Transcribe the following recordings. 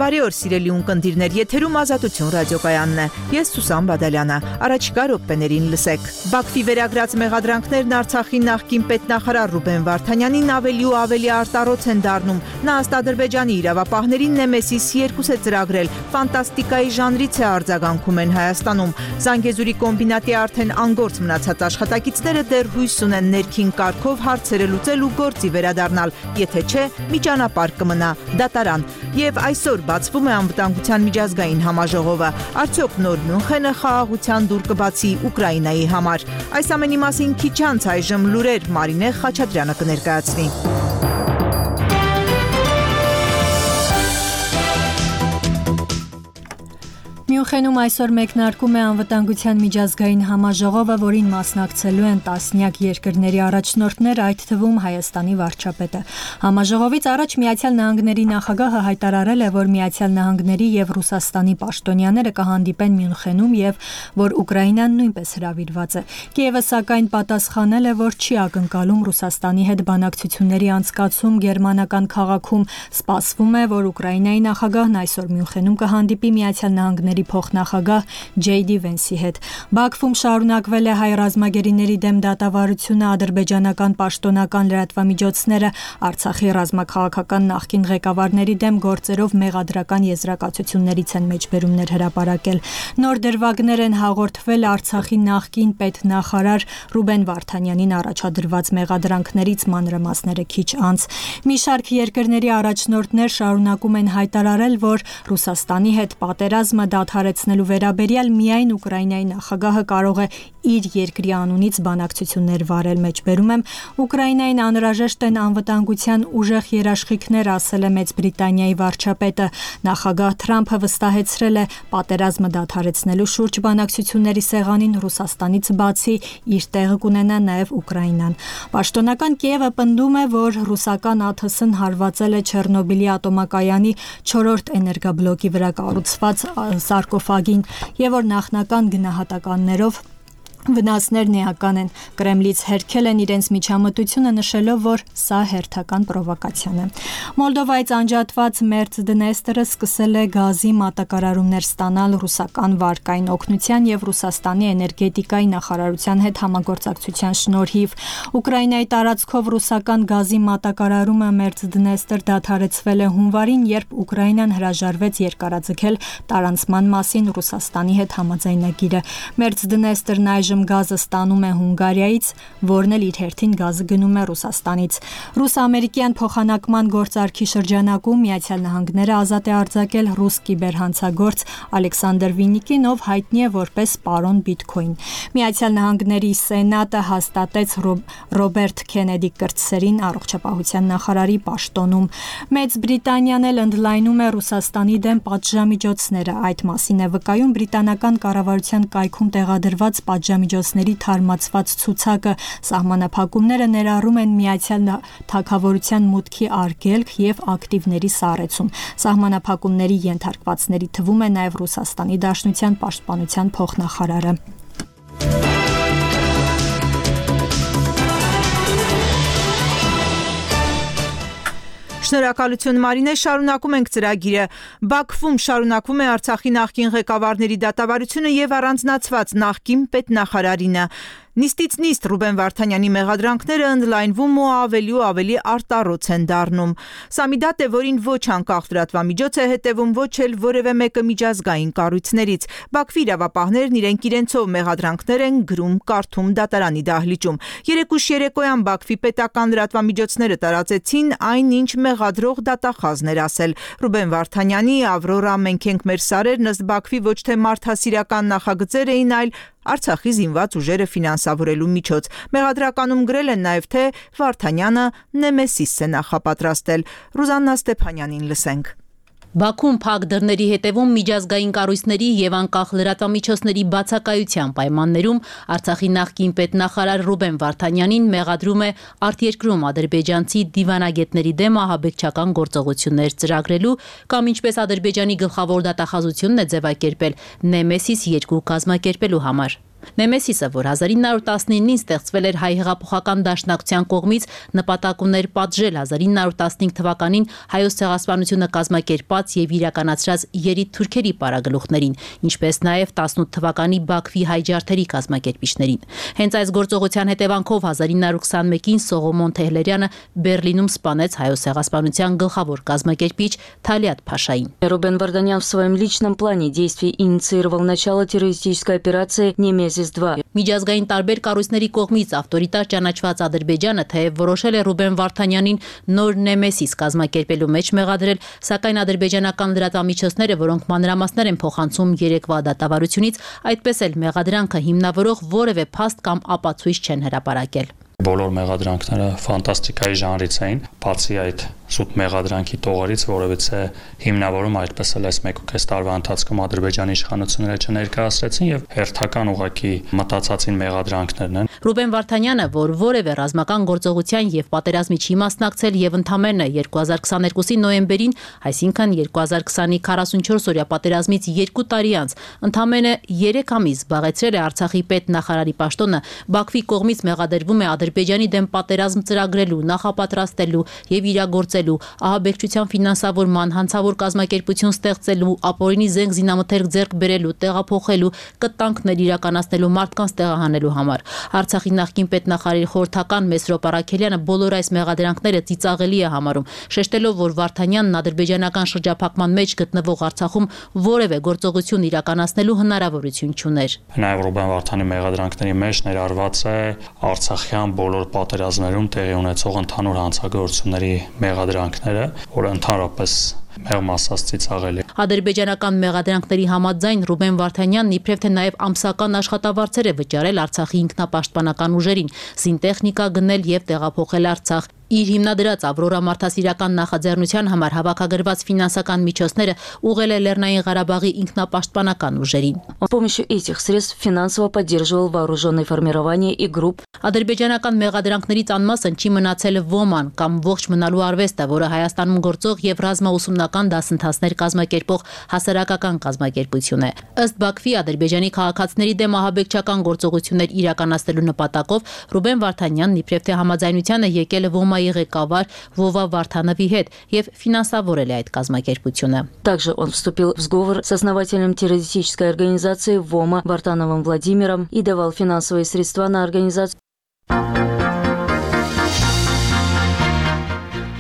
Բարի օր սիրելի ունկնդիրներ, եթերում Ազատություն ռադիոկայանն է։ Ես Սուսան Բադալյանը։ Առաջիկա րոպեներին լսեք։ Բաքվի վերագրած մեղադրանքներն Արցախի նախկին պետնախարար Ռուբեն Վարդանյանին ավելի ու ավելի արտառոց են դառնում։ Նա ըստ Ադրբեջանի իրավապահներին Նեմեսիս 2 է ծրագրել, ֆանտաստիկայի ժանրից է արձագանքում են Հայաստանում։ Զանգեզուրի կոմբինատի արդեն անգործ մնացած աշխատակիցները դեռ հույս ունեն ներքին կարգով հարցերը լուծել ու գործի վերադառնալ, եթե չէ, մի ճանապարհ կմնա՝ դատարան։ Եվ այսօր բացվում է անվտանգության միջազգային համաժողովը։ Արդյոք նոր Մյունխենը խաղաղության դուռ կբացի Ուկրաինայի համար։ Այս ամենի մասին քիչ անց այժմ լուրեր Մարինե Խաչատրյանը կներկայացնի։ Մյունխենում այսօր մեկնարկում է անվտանգության միջազգային համաժողովը, որին մասնակցելու են տասնյակ երկրների առաջնորդներ, այդ թվում Հայաստանի վարչապետը։ Համաժողովից առաջ Միացյալ Նահանգների նախագահը հայտարարել է, որ Միացյալ Նահանգների եւ Ռուսաստանի պաշտոնյաները կհանդիպեն Մյունխենում եւ որ Ուկրաինան նույնպես հրավիրված է։ Կիևը սակայն պատասխանել է, որ չի ակնկալում Ռուսաստանի հետ բանակցությունների անցկացում գերմանական քաղաքում։ Սպասվում է, որ Ուկրաինայի նախագահն այսօր Մյունխենում կհանդիպի Միացյալ Նահանգների փոխնախագահ Ջեյդի Վենսի հետ։ Բաքվում շարունակվել է հայ ռազմագերիների դեմ դատավարությունը, ադրբեջանական պաշտոնական լրատվամիջոցները Արցախի ռազմաքաղաքական նախկին ղեկավարների դեմ գործերով մեղադրական եզրակացություններից են մեջբերումներ հրապարակել։ Նոր դրվագներ են հաղորդվել Արցախի նախկին պետնախարար Ռուբեն Վարդանյանին առաջադրված մեղադրանքներից, մանրամասները քիչ անց։ Մի շարք երկրների առաջնորդներ շարունակում են հայտարարել, որ Ռուսաստանի հետ պատերազմը դադարեցնելու վերաբերյալ միայն Ուկրաինայի նախագահը կարող է իր երկրի անունից բանակցություններ վարել, մեջբերում եմ։ Ուկրաինային անհրաժեշտ են անվտանգության ուժեղ երաշխիքներ, ասել է Մեծ Բրիտանիայի վարչապետը։ Նախագահ Թրամփը վստահեցրել է, պատերազմը դադարեցնելու շուրջ բանակցությունների սեղանին Ռուսաստանից բացի իր տեղը կունենա նաև Ուկրաինան։ Պաշտոնական Կիևը պնդում է, որ ռուսական ԱԹՍ-ն հարվածել է Չեռնոբիլի ատոմակայանի 4-րդ էներգաբլոկի վրա կառուցված սարկոֆագին եւ որ նախնական գնահատականներով վնասներն էական են։ Կրեմլից հերքել են իրենց միջամտությունը, նշելով, որ սա հերթական պրովոկացիան է։ Մոլդովայից անջատված Մերցդնեստերը սկսել է գազի մատակարարումներ ստանալ ռուսական վարկային օգնության եւ Ռուսաստանի էներգետիկայի նախարարության հետ համագործակցության շնորհիվ։ Ուկրաինայի տարածքով ռուսական գազի մատակարարումը Մերցդնեստր դադարեցվել է հունվարին, երբ Ուկրաինան հրաժարվեց երկարաձգել տարանցման մասին Ռուսաստանի հետ համաձայնագիրը։ Մերցդնեստերն այժմ գազը ստանում է Հունգարիայից, որն էլ իր հերթին գազը գնում է Ռուսաստանից։ Ռուս-ամերիկյան փոխանակման գործարքի շրջանակում Միացյալ Նահանգները ազատ է արձակել ռուս կիբերհանցագործ Ալեքսանդր Վինիկին, ով հայտնի է որպես պարոն Բիթքոին։ Միացյալ Նահանգների Սենատը հաստատեց Ռոբերտ Քենեդի կրտսերին առողջապահության նախարարի պաշտոնում։ Մեծ Բրիտանիան էլ ընդլայնում է Ռուսաստանի դեմ պատժամիջոցները։ Այդ մասին է վկայում բրիտանական կառավարության կայքում տեղադրված պատժամիջոցների թարմացված ցուցակը։ Սահմանափակումները ներառում են միացյալ թագավորության մուտքի արգելք եւ ակտիվների սառեցում։ Սահմանափակումների ենթարկվածների թվում է նաեւ Ռուսաստանի Դաշնության պաշտպանության փոխնախարարը։ Շնորհակալություն Մարինե, շարունակում ենք ծրագիրը։ Բաքվում շարունակվում է Արցախի նախկին ղեկավարների դատավարությունը եւ առանձնացված նախկին պետնախարարինը։ Նիստից նիստ Ռուբեն Վարդանյանի մեղադրանքները ընդլայնվում ու ավելի արտառոց են դառնում։ Սա մի դատ է, որին ոչ անկախ լրատվամիջոց է հետևում, ոչ էլ որևէ մեկը միջազգային կառույցներից։ Բաքվի իրավապահներն իրենք իրենցով մեղադրանքներ են գրում, կարդում դատարանի դահլիճում։ Երեկույթ երեկոյան Բաքվի պետական լրատվամիջոցները տարածեցին այն, ինչ մեղադրող դատախազներ ասել։ Ռուբեն Վարդանյանի «Ավրորա, մենք ենք մեր սարերն» ըստ Բաքվի ոչ թե մարդասիրական նախագծեր էին, այլ Արցախի զինված ուժերը ֆինանսավորելու միջոց։ Մեղադրականում գրել են նաև, թե Վարդանյանը Նեմեսիս է նախապատրաստել։ Ռուզաննա Ստեփանյանին լսենք։ Բաքվում փակ դռների հետևում միջազգային կառույցների եւ անկախ լրատվամիջոցների բացակայության պայմաններում Արցախի նախկին պետնախարար Ռուբեն Վարդանյանին մեղադրում է արտերկրում ադրբեջանցի դիվանագետների դեմ ահաբեկչական գործողություններ ծրագրելու կամ ինչպես Ադրբեջանի գլխավոր դատախազությունն է ձևակերպել Նեմեսիս 2 կազմակերպելու համար։ Նեմեսիսը, որ 1919-ին ստեղծվել էր հայ հեղափոխական դաշնակցության կողմից, նպատակ ուներ պատժել 1915 թվականին հայոց ցեղասպանությունը կազմակերպած եւ իրականացրած երիտ թուրքերի պարագլուխներին, ինչպես նաեւ 18 թվականի Բաքվի հայ ջարդերի կազմակերպիչներին։ Հենց այս գործողության հետևանքով 1921-ին Սողոմոն Թեհլերյանը Բերլինում սպանեց հայոց ցեղասպանության գլխավոր կազմակերպիչ Թալիատ Փաշային։ Рубен Варданян в своем личном плане действий инициировал начало террористической операции «Немезис-2». Միջազգային տարբեր կառույցների կողմից ավտորիտար ճանաչված Ադրբեջանը թեև որոշել է Ռուբեն Վարդանյանին նոր Նեմեսիս կազմակերպելու մեջ մեղադրել, սակայն ադրբեջանական լրատվամիջոցները, որոնք մանրամասներ են փոխանցում երեկվա դատավարությունից, այդպես էլ մեղադրանքը հիմնավորող որևէ փաստ կամ ապացույց չեն հրապարակել։ Բոլոր մեղադրանքները ֆանտաստիկայի ժանրից էին, բացի այդ սուտ մեղադրանքի տողերից, որովհետեւ հիմնավորում այդպես էլ այս 1.5 տարվա ընթացքում Ադրբեջանի իշխանությունները չներկայացրեցին եւ հերթական ուղղակի մտածածին մեղադրանքներն են։ Ռուբեն Վարդանյանը, որ որևէ ռազմական գործողության եւ պատերազմի չի մասնակցել եւ ընդամենը 2022-ի նոյեմբերին, այսինքն 2020-ի 44-օրյա պատերազմից 2 տարի անց, ընդամենը 3 ամիս զբաղեցրել է Արցախի պետնախարարի պաշտոնը, Բաքվի կողմից մեղադրվում է Ադրբեջանի դեմ պատերազմ ծրագրելու, նախապատրաստելու եւ իրագործելու, ահաբեկչության ֆինանսավորման, հանցավոր կազմակերպություն ստեղծելու, ապօրինի զենք զինամթերք ձեռք բերելու, տեղափոխելու, կտանքներ իրականացնելու, մարդկանց տեղահանելու համար։ Արցախի նախկին պետնախարարի խորհրդական Մեսրոպ Արաքելյանը բոլոր այս մեղադրանքները ծիծաղելի է համարում, շեշտելով, որ Վարդանյանն ադրբեջանական շրջափակման մեջ գտնվող Արցախում որևէ գործողություն իրականացնելու հնարավորություն չուներ։ Նաեւ Ռուբեն Վարդանի մեղադրանքների մեջ ներառված է Արցախյան բոլոր պատերազմներում տեղի ունեցող ընդհանուր հանցագործությունների մեղադրանքները, որը ընդհանրապես մեղմ ասած ծիծաղելի։ Ադրբեջանական մեղադրանքների համաձայն Ռուբեն Վարդանյանն իբրև թե նաև ամսական աշխատավարձեր է վճարել Արցախի ինքնապաշտպանական ուժերին, զինտեխնիկա գնել եւ տեղափոխել Արցախ։ Իր հիմնադրած Ավրորա մարդասիրական նախաձեռնության համար հավաքագրված ֆինանսական միջոցները ուղղել է Լեռնային Ղարաբաղի ինքնապաշտպանական ուժերին։ С помощью этих средств финансово поддерживал вооруженные формирования и групп. Ադրբեջանական մեղադրանքներից անմասն չի մնացել ոման կամ ողջ մնալու արվեստը, որը Հայաստանում գործող եւ ռազմաուսումնական դասընթացներ կազմակերպող հասարակական կազմակերպություն է։ Ըստ Բաքվի ադրբեջանի քաղաքացիների դեմ ահաբեկչական գործողություններ իրականացնելու նպատակով Ռուբեն Վարդանյանն իբրև թե համաձայնության է եկել ոմայի ղեկավար Վովա Վարդանովի հետ եւ ֆինանսավորել է այդ կազմակերպությունը։ Также он вступил в сговор с основателем террористической организации ВОМА Вартановым Владимиром и давал финансовые средства на организацию.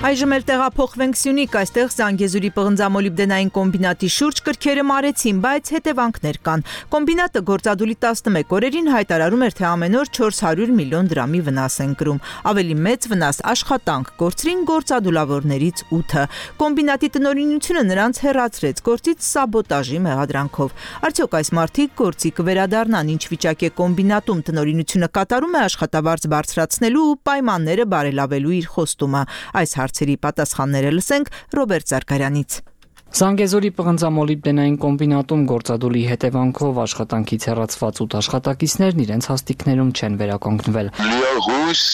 Այժմ էլ տեղափոխվենք Սյունիք, այստեղ Զանգեզուրի պղնձամոլիբդենային կոմբինատի շուրջ կրքերը մարեցին, բայց հետևանքներ կան։ Կոմբինատը գործադուլի 11 օրերին հայտարարում էր, թե ամեն օր 400 միլիոն դրամի վնաս են կրում։ Ավելի մեծ վնաս աշխատանք կորցրին գործադուլավորներից 8-ը։ Կոմբինատի տնօրինությունը նրանց հեռացրեց գործից սաբոտաժի մեղադրանքով։ Արդյոք այս մարդիկ գործի կվերադառնան, ինչ վիճակ է կոմբինատում տնօրինությունը կատարում է աշխատավարձ բարձրացնելու ու պայմանները բարելավելու իր խոստումը։ Այս հարցերի պատասխանները լսենք Ռոբերտ Զարգարյանից։ Զանգեզուրի պղնձամոլիբդենային կոմբինատում գործադուլի հետևանքով աշխատանքից հեռացված 8 աշխատակիցներն իրենց հաստիքներում չեն վերականգնվել։ Լիահույս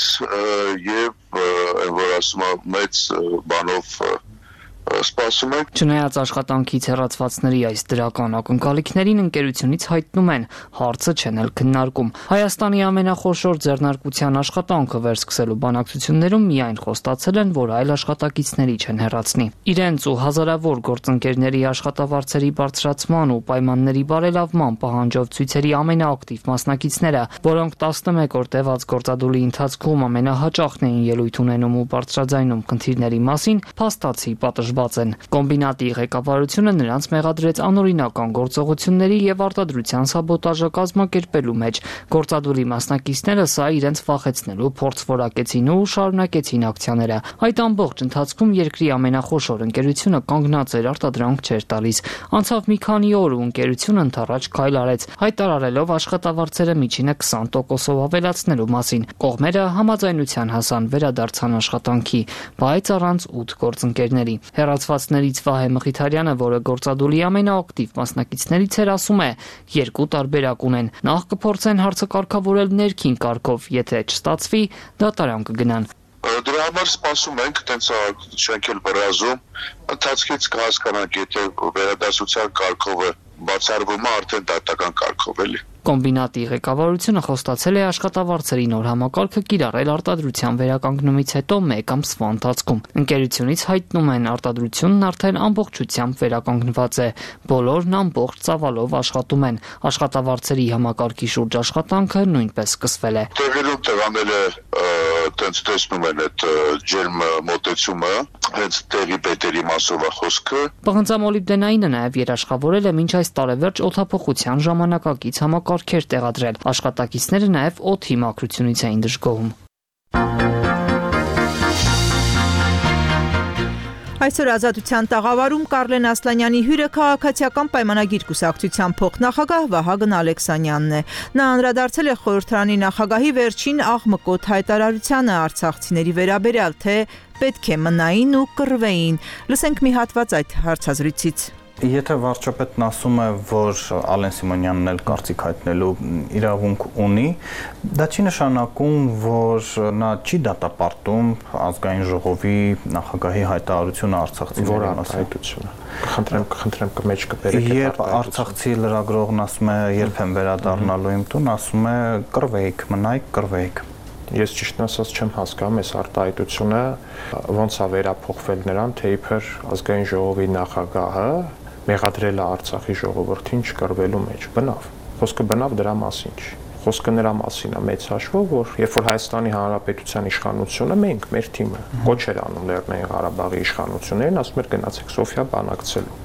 եւ որ ասում մեծ բանով սպասում ենք։ Չնայած աշխատանքից հեռացվածների այս դրական ակնկալիքներին ընկերությունից հայտնում են, հարցը չեն էլ քննարկում։ Հայաստանի ամենախոշոր ձեռնարկության աշխատանքը վերսկսելու բանակցություններում միայն խոստացել են, որ այլ աշխատակիցների չեն հեռացնի։ Իրենց ու հազարավոր գործընկերների աշխատավարձերի բարձրացման ու պայմանների բարելավման պահանջով ցույցերի ամենաակտիվ մասնակիցները, որոնք 11 օր տևած գործադուլի ընթացքում ամենահաճախն էին ելույթ ունենում ու բարձրաձայնում խնդիրների մասին, փաստացի պատժված են։ Կոմբինատի ղեկավարությունը նրանց մեղադրեց անօրինական գործողությունների եւ արտադրության սաբոտաժը կազմակերպելու մեջ։ Գործադուլի մասնակիցները սա իրենց վախեցնելու փորձ որակեցին ու շարունակեցին ակցիաները։ Այդ ամբողջ ընթացքում երկրի ամենախոշոր ընկերությունը կանգնած էր, արտադրանք չէր տալիս։ Անցավ մի քանի օր ու ընկերությունը ընդառաջ քայլ արեց, հայտարարելով աշխատավարձերը միջինը 20%-ով ավելացնելու մասին։ Կողմերը համաձայնության հասան, վերադարձան աշխատանքի, բայց առանց 8 գործընկերների։ Հեռացվածներից Վահե Մխիթարյանը, որը գործադուլի ամենաակտիվ մասնակիցներից էր, ասում է, երկու տարբերակ ունեն։ Նախ կփորձեն հարցը կարգավորել ներքին կարգով, եթե չստացվի, դատարան կգնան։ Դրա համար սպասում ենք, տենց շենքել բրազում, ընթացքից կհասկանանք, եթե վերադասության կարգով է բացառվում է արդեն դատական կարգով էլի։ Կոմբինատի ղեկավարությունը խոստացել է աշխատավարձերի նոր համակարգը կիրառել արտադրության վերականգնումից հետո 1 ամսվա ընթացքում։ Ընկերությունից հայտնում են, արտադրությունն արդեն ամբողջությամբ վերականգնված է, բոլորն ամբողջ ծավալով աշխատում են։ Աշխատավարձերի համակարգի շուրջ աշխատանքը նույնպես սկսվել է։ Տեղերում տղաները տենց տեսնում են այդ ջերմ մոտեցումը, հենց տեղի պետերի մասով է խոսքը։ Պղնձամոլիբդենայինը նաև երաշխավորել է մինչ այս տարեվերջ օդափոխության ժամանակակից համակարգեր տեղադրել։ Աշխատակիցները նաև օդի մաքրությունից էին դժգոհում։ Այսօր Ազատության տաղավարում Կարլեն Ասլանյանի հյուրը քաղաքացիական պայմանագիր կուսակցության փոխնախագահ Վահագն Ալեքսանյանն է։ Նա անդրադարձել է խորհրդարանի նախագահի վերջին աղմկոտ հայտարարությանը արցախցիների վերաբերյալ, թե պետք է մնային ու կռվեին։ Լսենք մի հատված այդ հարցազրույցից։ Եթե վարչապետն ասում է, որ Ալեն Սիմոնյանն էլ կարծիք հայտնելու իրավունք ունի, դա չի նշանակում, որ նա չի դատապարտում ազգային ժողովի նախագահի հայտարարությունը արցախցիների արտահայտությունը։ Խնդրեմ կմեջ կբերեք։ Երբ արցախցի լրագրողն ասում է, երբ եմ վերադառնալու իմ տուն, ասում է կռվեիք, մնայիք, կռվեիք։ Ես ճիշտն ասած չեմ հասկանում այս արտահայտությունը ոնց է վերափոխվել նրան, թե իբր ազգային ժողովի նախագահը մեղադրել է Արցախի ժողովրդին չկռվելու մեջ։ Բնավ։ Խոսքը բնավ դրա մասին չի։ Խոսքը նրա մասին է մեծ հաշվով, որ երբ որ Հայաստանի Հանրապետության իշխանությունը մենք, մեր թիմը կոչ էր անում Լեռնային Ղարաբաղի իշխանություններին, ասում էր գնացեք Սոֆիա բանակցելու։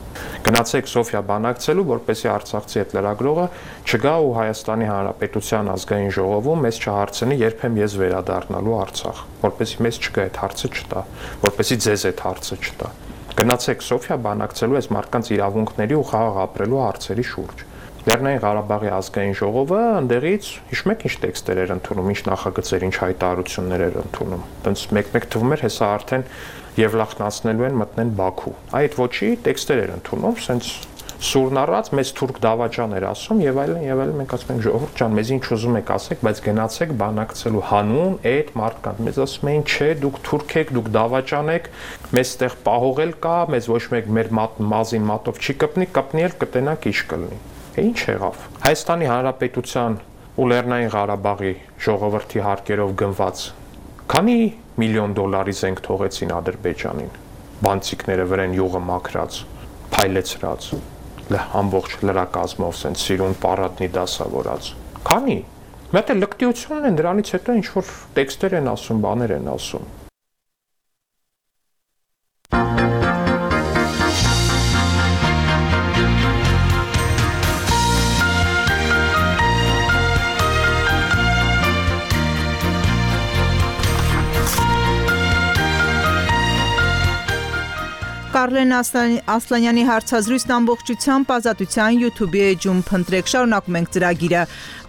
Գնացեք Սոֆիա բանակցելու, որպեսզի արցախցի այդ լրագրողը չգա ու Հայաստանի Հանրապետության ազգային ժողովում մեզ չհարցնի, երբ եմ ես վերադառնալու Արցախ, որպեսզի մեզ չգա այդ հարցը չտա, որպեսզի ձեզ այդ հարցը չտա։ Գնացեք Սոֆիա բանակցելու այս մարդկանց իրավունքների ու խաղաղ ապրելու հարցերի շուրջ։ Լեռնային Ղարաբաղի ազգային ժողովը ընդեղից հիշում եք ինչ տեքստեր էր ընդունում, ինչ նախագծեր, ինչ հայտարարություններ էր ընդունում։ Տենց մեկ-մեկ թվում էր, հեսա արդեն Եվլախնացնելու են մտնեն Բաքու։ Այդ ոչի տեքստեր էր ընդունում, սենց սուրն առած մեծ թուրք դավաճան էր ասում եւ այլն, մենք ասում ենք ժողովուրդ ջան, մեզ ինչ ուզում եք ասեք, բայց գնացեք բանակցելու հանուն այդ մարդկանց։ Մեզ ասում էին, չէ, դուք թուրք եք, դուք դավաճան եք, մեզ ստեղ պահողել կա, մեզ ոչ մեկ մեր մազին մատով չի կպնի էլ կտենանք ինչ կլինի։ Ինչ եղավ։ Հայաստանի Հանրապետության ու Լեռնային Ղարաբաղի ժողովրդի հարկերով գնված քանի միլիոն դոլարի զենք թողեցին Ադրբեջանին։ Բանցիկները վրան յուղը մաքրած, փայլեցրած ամբողջ լրակազմով սենց սիրուն պարատնի դասավորած։ Քանի։ Մի հատ լկտիությունն են, դրանից հետո ինչ որ տեքստեր են ասում, բաներ են ասում։ Կարլեն Ասլանյանի հարցազրույցն ամբողջությամբ Ազատության YouTube-ի էջում փնտրեք, շարունակում ենք ծրագիրը։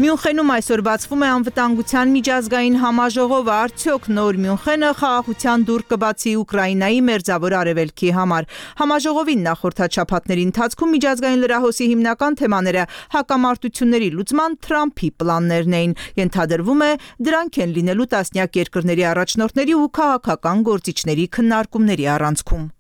Մյունխենում այսօր բացվում է անվտանգության միջազգային համաժողովը, արդյոք նոր Մյունխենը խաղաղության դուռ կբացի Ուկրաինայի մերձավոր արևելքի համար։ Համաժողովին նախորդ շաբաթների ընթացքում միջազգային լրահոսի հիմնական թեմաները հակամարտությունների լուծման Թրամփի պլաններն էին։ Ենթադրվում է, դրանք են լինելու տասնյակ երկրների առաջնորդների ու քաղաքական գործիչների քննարկումների առանցքում։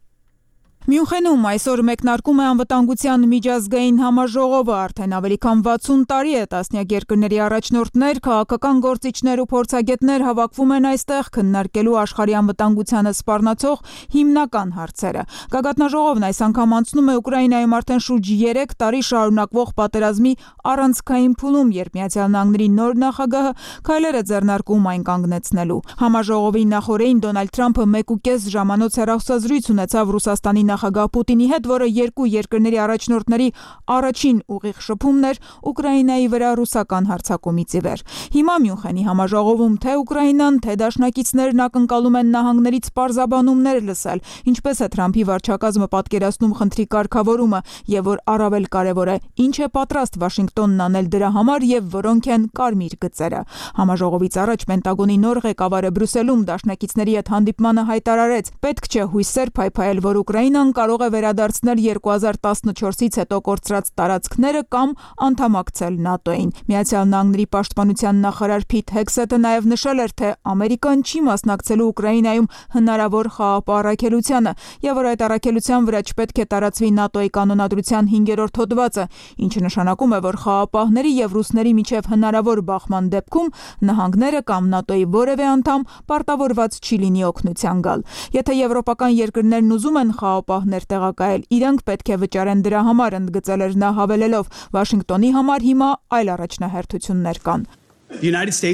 Մյունխենում այսօր մեկնարկում է անվտանգության միջազգային համաժողովը, արդեն ավելի քան 60 տարի է տասնյակ երկրների առաջնորդներ, քաղաքական գործիչներ ու փորձագետներ հավաքվում են այստեղ քննարկելու աշխարհի անվտանգությանը սպառնացող հիմնական հարցերը։ Գագաթնաժողովն այս անգամ անցնում է Ուկրաինայում արդեն շուրջ 3 տարի շարունակվող պատերազմի առանցքային փուլում, երբ Միացյալ Նահանգների նոր նախագահը քայլեր է ձեռնարկում այն կանգնեցնելու։ Համաժողովի նախօրեին Դոնալդ Թրամփը 1.5 ժամանոց հեռախոսազրույց ունեցավ Ռուսաստանի նախագահ Պուտինի հետ, որը երկու երկրների առաջնորդների առաջին ուղիղ շփումն էր Ուկրաինայի վրա ռուսական հարձակումից ի վեր։ Հիմա Մյունխենի համաժողովում թե Ուկրաինան, թե դաշնակիցներն ակնկալում են նահանգներից պարզաբանումներ լսել, ինչպես է Թրամփի վարչակազմը պատկերացնում խնդրի կարգավորումը եւ որ առավել կարեւոր է, ինչ է պատրաստ Վաշինգտոնն անել դրա համար եւ որոնք են կարմիր գծերը։ Համաժողովից առաջ Պենտագոնի նոր ղեկավարը Բրյուսելում դաշնակիցների հետ հանդիպմանը հայտարարեց. պետք չէ հույսեր փայփայել, որ Ուկրաինան Ռուսաստան կարող է վերադարձնել 2014-ից հետո կորցրած տարածքները կամ անդամակցել ՆԱՏՕ-ին։ Միացյալ Նահանգների պաշտպանության նախարար Փիթ Հեքսեթը նաև նշել էր, թե Ամերիկան չի մասնակցելու Ուկրաինայում հնարավոր խաղաղ առաքելությանը, եւ որ այդ առաքելության վրա չպետք է տարածվի ՆԱՏՕ-ի կանոնադրության 5-րդ հոդվածը, ինչը նշանակում է, որ խաղաղապահների եւ ռուսների միջև հնարավոր բախման դեպքում նահանգները կամ ՆԱՏՕ-ի որևէ անդամ պարտավորված չի լինի օգնության գալ։ Եթե եվրոպական երկրներն ուզում են խաղաղապահներ տեղակայել, իրենք պետք է վճարեն դրա համար, ընդգծել էր նա, հավելելով. Վաշինգտոնի համար հիմա այլ առաջնահերթություններ կան։ Միացյալ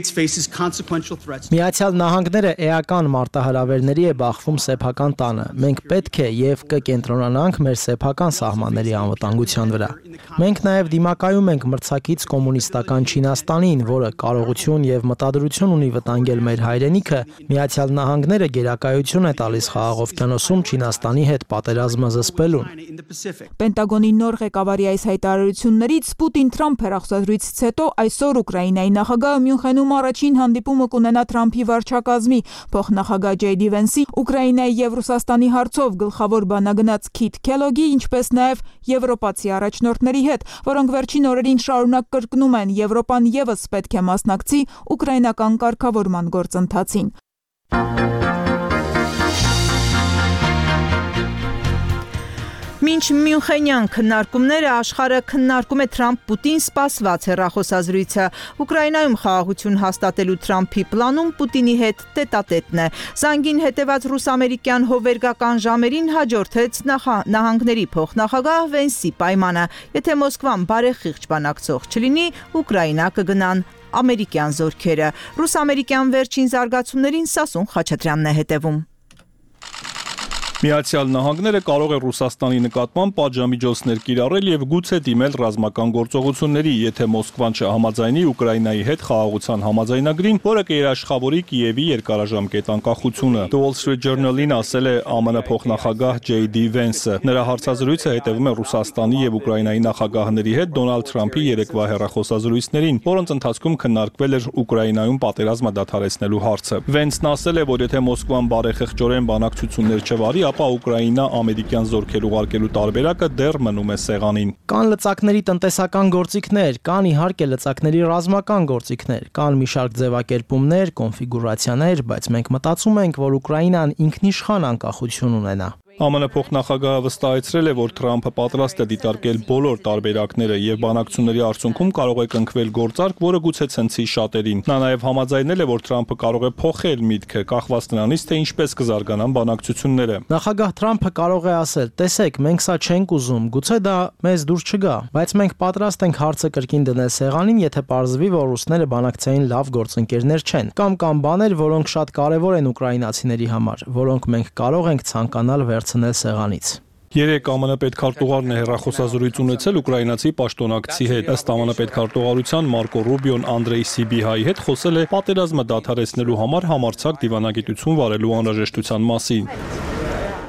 Նահանգները էական մարտահրավերների է բախվում սեփական տանը։ Մենք պետք է եւ կկենտրոնանանք մեր սեփական սահմանների անվտանգության վրա։ Մենք նաեւ դիմակայում ենք մրցակից կոմունիստական Չինաստանին, որը կարողություն եւ մտադրություն ունի վտանգել մեր հայրենիքը։ Միացյալ Նահանգները գերակայություն է տալիս Խաղաղ օվկիանոսում Չինաստանի հետ պատերազմը զսպելուն։ Պենտագոնի նոր ղեկավարի այս հայտարարություններից Պուտին-Թրամփ հեռախոսազրույցից հետո այսօր Ուկրաինայի նախագահ Մյունխենում առաջին հանդիպումը կունենա Թրամփի վարչակազմի փոխնախագահ Ջեյ Դի Վենսի, Ուկրաինայի եւ Ռուսաստանի հարցով գլխավոր բանագնաց Քիթ Քելոգի, ինչպես նաեւ եվրոպացի առաջնորդների հետ, որոնք վերջին օրերին շարունակ կրկնում են Եվրոպան եւս պետք է մասնակցի ուկրաինական կարգավորման գործընթացին։ Մինչ Մյունխենյան քննարկումները աշխարհը քննարկում է Թրամփ-Պուտին սպասված հեռախոսազրույցը։ Ուկրաինայում խաղաղություն հաստատելու Թրամփի պլանում Պուտինի հետ տետատետն է։ Զանգին հետևած ռուս-ամերիկյան հովվերգական ժամերին հաջորդեց նահանգների փոխնախագահ Վենսի պայմանը։ Եթե Մոսկվան բարեխիղճ բանակցող չլինի, Ուկրաինա կգնան ամերիկյան զորքերը։ Ռուս-ամերիկյան վերջին զարգացումներին Սասուն Խաչատրյանն է հետևում։ Միացյալ Նահանգները կարող է Ռուսաստանի նկատմամբ պատժամիջոցներ կիրառել եւ գուցե դիմել ռազմական գործողությունների, եթե Մոսկվան չհամաձայնի Ուկրաինայի հետ խաղաղության համաձայնագրին, որը կերաշխավորի Կիևի երկարաժամկետ անկախությունը։ The Wall Street Journal-ին ասել է ԱՄՆ փոխնախագահ Ջեյ Դի Վենսը։ Նրա հարցազրույցը հետևում է Ռուսաստանի եւ Ուկրաինայի նախագահների հետ Դոնալդ Թրամփի երեկվա հեռախոսազրույցներին, որոնց ընթացքում քննարկվել էր Ուկրաինայում պատերազմը դադարեցնելու հարցը։ Վենսն ասել է, որ եթե Մոսկվան բարեխիղճորեն բանակցություններ չվարի, ապա Ուկրաինա ամերիկյան զորքեր ուղարկելու տարբերակը դեռ մնում է սեղանին։ Կան լծակների տնտեսական գործիքներ, կան իհարկե լծակների ռազմական գործիքներ, կան մի շարք ձևակերպումներ, կոնֆիգուրացիաներ, բայց մենք մտածում ենք, որ Ուկրաինան ինքնիշխան անկախություն ունենա։ ԱՄՆ փոխնախագահը վստահեցրել է, որ Թրամփը պատրաստ է դիտարկել բոլոր տարբերակները եւ բանակցությունների արդյունքում կարող է կնքվել գործարք, որը գուցե ցնցի շատերին։ Նա նաեւ համաձայնել է, որ Թրամփը կարող է փոխել միտքը, կախված նրանից, թե ինչպես կզարգանան բանակցությունները։ Նախագահ Թրամփը կարող է ասել. «Տեսեք, մենք սա չենք ուզում, գուցե դա մեզ դուր չգա, բայց մենք պատրաստ ենք հարցը կրկին դնել սեղանին, եթե պարզվի, որ ռուսները բանակցային լավ գործընկերներ չեն, կամ բաներ, որոնք շատ կարևոր են ուկրաինացիների համար, որոնք մենք կարող ենք ցանկանալ վերցնել սեղանից»։ Երեք ԱՄՆ պետքարտուղարն է հեռախոսազրույց ունեցել ուկրաինացի պաշտոնակցի հետ։ Ըստ ԱՄՆ պետքարտուղարության Մարկո Ռուբիոն Անդրեյ Սիբիհայի հետ խոսել է պատերազմը դադարեցնելու համար համարձակ դիվանագիտություն վարելու անհրաժեշտության մասին։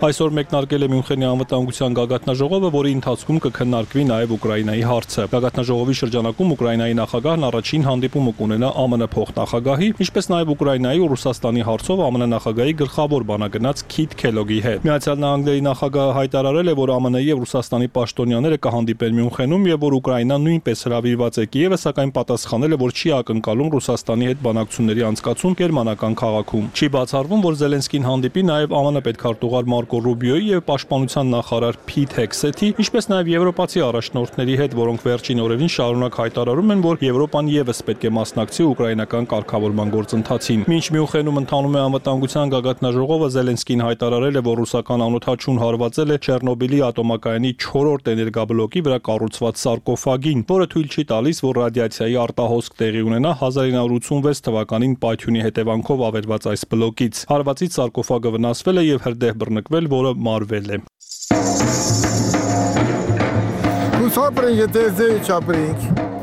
Այսօր մեկնարկել է Մյունխենի անվտանգության գագաթնաժողովը, որի ընթացքում կքննարկվի նաև Ուկրաինայի հարցը։ Գագաթնաժողովի շրջանակում Ուկրաինայի նախագահն առաջին հանդիպումը կունենա ԱՄՆ փոխնախագահի, ինչպես նաև Ուկրաինայի ու Ռուսաստանի հարցով ԱՄՆ նախագահի գլխավոր բանագնաց Քիթ Քելոգի հետ։ Միացյալ Նահանգների նախագահը հայտարարել է, որ ԱՄՆ-ի եւ Ռուսաստանի պաշտոնյաները կհանդիպեն Մյունխենում եւ որ Ուկրաինան նույնպես հրավիրված է Կիևը, սակայն պատասխանել է, որ չի ակնկալում Ռուսաստանի հետ բանակցությունների անցկացում գերմանական քաղաքում։ Չի բացառվում, որ Զելենսկին հանդիպի նաև ԱՄՆ պետքարտուղար Մարկո Ռուբիոյի եւ պաշտպանության նախարար Փիթ Հեքսեթի, ինչպես նաեւ եվրոպացի առաջնորդների հետ, որոնք վերջին օրերին շարունակ հայտարարում են, որ Եվրոպան եւս պետք է մասնակցի ուկրաինական կարգավորման գործընթացին։ Մինչ Մյունխենում ընթանում է անվտանգության գագաթնաժողովը, Զելենսկին հայտարարել է, որ ռուսական անօդաչուն հարվածել է Չեռնոբիլի ատոմակայանի 4-րդ էներգաբլոկի վրա կառուցված սարկոֆագին, որը թույլ չի տալիս, որ ռադիացիայի արտահոսք տեղի ունենա 1986 թվականին պայթյունի հետևանքով ավերված այս բլոկից։ Հարվածից սարկոֆագը վնասվել է եւ հրդեհ բռնկվել, որը մարվել է։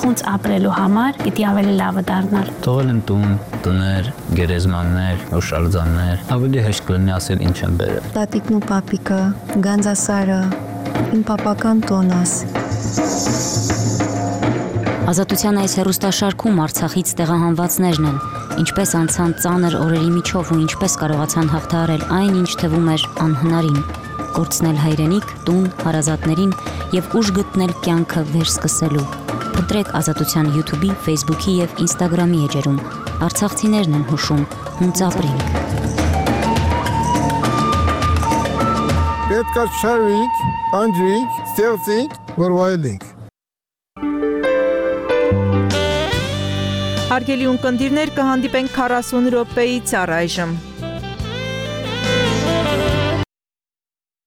Ոնց ապրելու համար պիտի ավելի լավը դառնալ։ Թողել են տուն, տներ, գերեզմաններ, օշալձաններ, ավելի հեշտ կլինի ասել ինչ են բերել։ Տատիկն ու պապիկը, գանձասարը, իմ պապական տոնաս։ Ազատության այս հեռուստաշարքում Արցախից տեղահանվածներն են, ինչպես անցան ծանր օրերի միջով ու ինչպես կարողացան հաղթահարել այն, ինչ թվում էր անհնարին։ կորցնել հայրենիք, տուն, հարազատներին եւ ուժ գտնել կյանքը վերսկսելու։ Փնտրեք Ազատության YouTube-ի, Facebook-ի եւ Instagram-ի էջերում։ Արցախցիներն են հուշում, հունց ապրենք։ Պետք է շարվենք, անջրենք, ստեղծենք, որ վայելենք։ Հարգելի ունկնդիրներ, կհանդիպենք 40 րոպեից առայժմ։